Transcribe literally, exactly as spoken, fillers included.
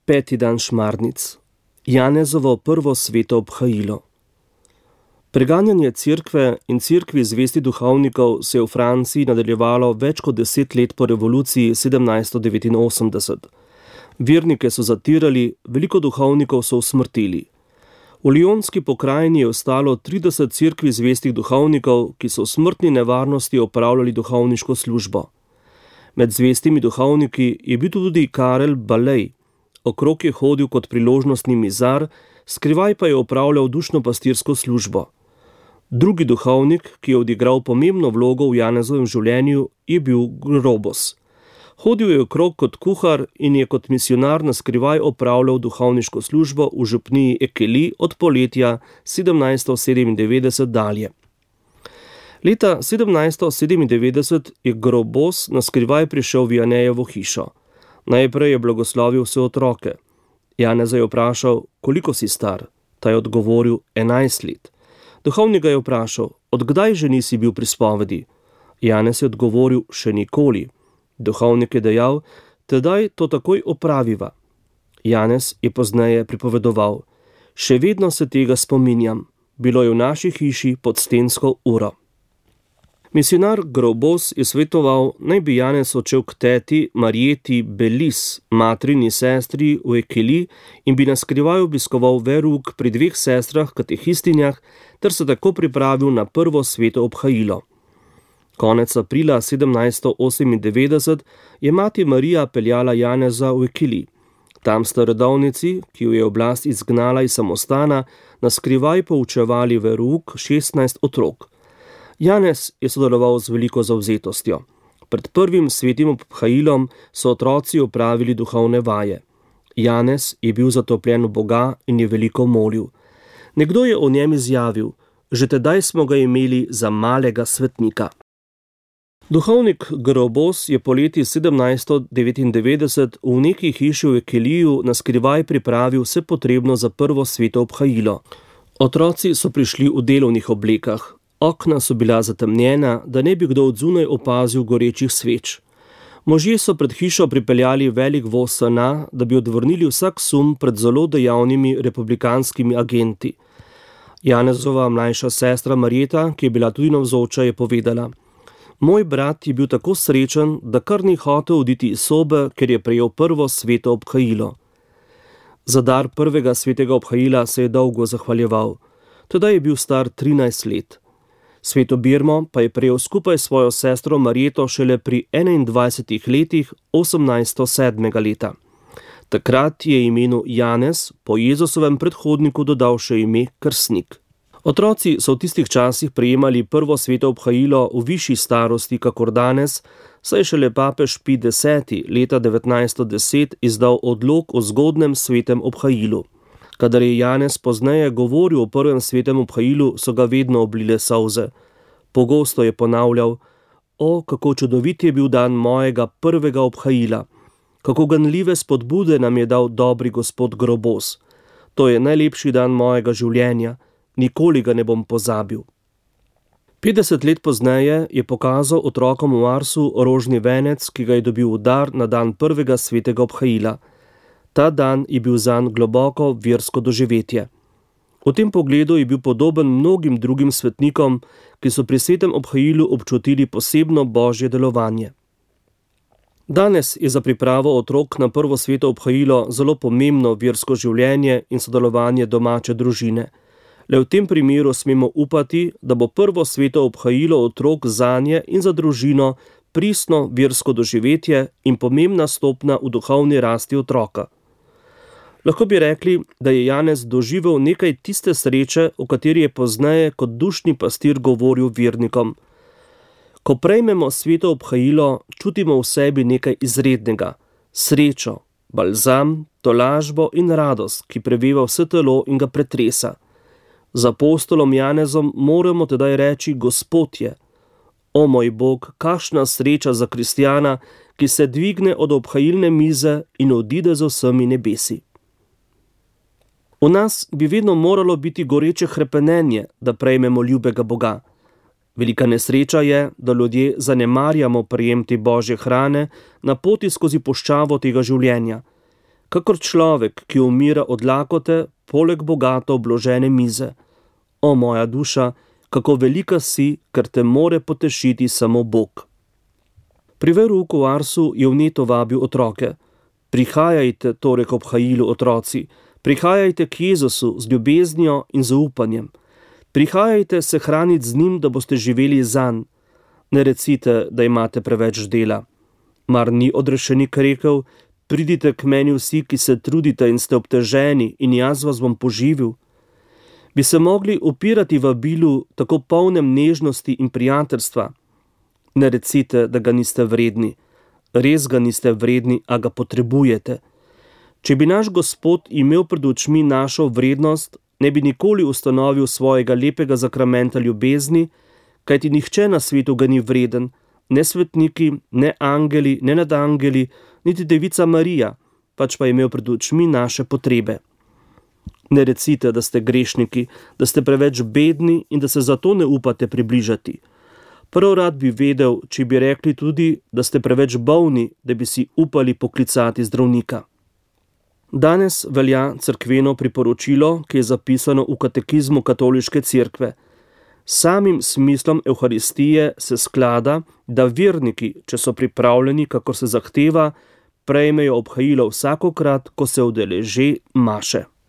Peti dan šmarnic. Janezovo prvo sveto obhajilo. Preganjanje cerkve in cerkvi zvestih duhovnikov se je v Franciji nadaljevalo več kot deset let po revoluciji sedemnajststo devetinosemdeset. Vernike so zatirali, veliko duhovnikov so usmrtili. V Lyonski pokrajini je ostalo trideset cerkvi zvestih duhovnikov, ki so v smrtni nevarnosti opravljali duhovniško službo. Med zvestimi duhovniki je bil tudi Karel Balej. Okrog je hodil kot priložnostni mizar, skrivaj pa je opravljal dušno-pastirsko službo. Drugi duhovnik, ki je odigral pomembno vlogo v Janezovem življenju, je bil Grobos. Hodil je okrog kot kuhar in je kot misionar na skrivaj opravljal duhovniško službo v župniji Ekeli od poletja sedemnajststo sedemindevetdeset dalje. Leta sedemnajststo sedemindevetdeset je Grobos na skrivaj prišel v Janejevo hišo. Najprej je blagoslovil vse otroke. Janeza je vprašal, koliko si star? Ta je odgovoril, enajst let. Duhovnik ga je vprašal, odkdaj že nisi bil pri spovedi? Janez je odgovoril, še nikoli. Duhovnik je dejal, tedaj to takoj opraviva. Janez je pozneje pripovedoval, še vedno se tega spominjam, bilo je v naši hiši pod stensko uro. Misionar Grobos je svetoval, naj bi Janez odšel k teti Marjeti Belis, matrini sestri v Ekeli, in bi na skrivaj obiskoval verouk pri dveh sestrah katehistinjah ter se tako pripravil na prvo sveto obhajilo. Konec aprila sedemnajststo osemindevetdeset je mati Marija peljala Janeza v Ekeli. Tam sta redovnici, ki jo je oblast izgnala iz samostana, na skrivaj poučevali verouk šestnajst otrok. Janez je sodeloval z veliko zavzetostjo. Pred prvim svetim obhajilom so otroci opravili duhovne vaje. Janez je bil zatopljen v Boga in je veliko molil. Nekdo je o njem izjavil, že tedaj smo ga imeli za malega svetnika. Duhovnik Grobos je poleti sedemnajststo devetindevetdeset v neki hiši v Ekeliju na skrivaj pripravil vse potrebno za prvo sveto obhajilo. Otroci so prišli v delovnih oblekah. Okna so bila zatemnjena, da ne bi kdo od zunaj opazil gorečih sveč. Možje so pred hišo pripeljali velik voz sena, da bi odvrnili vsak sum pred zelo dejavnimi republikanskimi agenti. Janezova mlajša sestra Marjeta, ki je bila tudi navzoča, je povedala, moj brat je bil tako srečen, da kar ni hotel oditi iz sobe, ker je prejel prvo sveto obhajilo. Za dar prvega svetega obhajila se je dolgo zahvaljeval. Tedaj je bil star trinajst let. Sveto birmo pa je prejel skupaj s svojo sestro Marjeto šele pri enaindvajsetih letih osemnajststo sedmega leta. Takrat je imenu Janez po Jezusovem predhodniku dodal še ime krstnik. Otroci so v tistih časih prejemali prvo sveto obhajilo v višji starosti kakor danes, saj šele papež Pij deseti leta devetnajststo deset izdal odlok o zgodnem svetem obhajilu. Kadar je Janez pozneje govoril o prvem svetem obhajilu, so ga vedno oblile solze. Pogosto je ponavljal, o, kako čudovit je bil dan mojega prvega obhajila, kako ganljive spodbude nam je dal dobri gospod Grobos. To je najlepši dan mojega življenja, nikoli ga ne bom pozabil. petdeset let pozneje je pokazal otrokom v Arsu rožni venec, ki ga je dobil v dar na dan prvega svetega obhajila. Ta dan je bil zanj globoko versko doživetje. V tem pogledu je bil podoben mnogim drugim svetnikom, ki so pri svetem obhajilu občutili posebno božje delovanje. Danes je za pripravo otrok na prvo sveto obhajilo zelo pomembno versko življenje in sodelovanje domače družine. Le v tem primeru smemo upati, da bo prvo sveto obhajilo otrok zanje in za družino pristno versko doživetje in pomembna stopnja v duhovni rasti otroka. Lahko bi rekli, da je Janez doživel nekaj tiste sreče, o kateri je pozneje kot dušni pastir govoril vernikom. Ko prejmemo sveto obhajilo, čutimo v sebi nekaj izrednega, srečo, balzam, tolažbo in radost, ki preveva vse telo in ga pretresa. Z apostolom Janezom moramo tedaj reči Gospod je. O moj Bog, kakšna sreča za kristjana, ki se dvigne od obhajilne mize in odide z vsemi nebesi. V nas bi vedno moralo biti goreče hrepenenje, da prejmemo ljubega Boga. Velika nesreča je, da ljudje zanemarjamo prejem te božje hrane na poti skozi puščavo tega življenja. kakor človek, ki umira od lakote, poleg bogato obložene mize. O moja duša, kako velika si, ker te more potešiti samo Bog. Pri verouku v Arsu je vneto vabil otroke. Prihajajte torej k obhajilu, otroci, prihajajte k Jezusu z ljubeznijo in zaupanjem. Prihajajte se hraniti z njim, da boste živeli zanj. Ne recite, da imate preveč dela. Mar ni odrešenik rekel, pridite k meni vsi, ki se trudite in ste obteženi, in jaz vas bom poživil. Bi se mogli upirati vabilu tako polnem nežnosti in prijateljstva? Ne recite, da ga niste vredni. Res ga niste vredni, a ga potrebujete. Če bi naš Gospod imel pred očmi našo vrednost, ne bi nikoli ustanovil svojega lepega zakramenta ljubezni, kajti nihče na svetu ga ni vreden, ne svetniki, ne angeli, ne nadangeli, niti devica Marija, pač pa je imel pred očmi naše potrebe. Ne recite, da ste grešniki, da ste preveč bedni in da se zato ne upate približati. Prav rad bi vedel, če bi rekli tudi, da ste preveč bolni, da bi si upali poklicati zdravnika. Danes velja cerkveno priporočilo, ki je zapisano v katekizmu katoliške cerkve. Samim smislom Evharistije se sklada, da verniki, če so pripravljeni, kakor se zahteva, prejmejo obhajilo vsakokrat, ko se udeleži maše.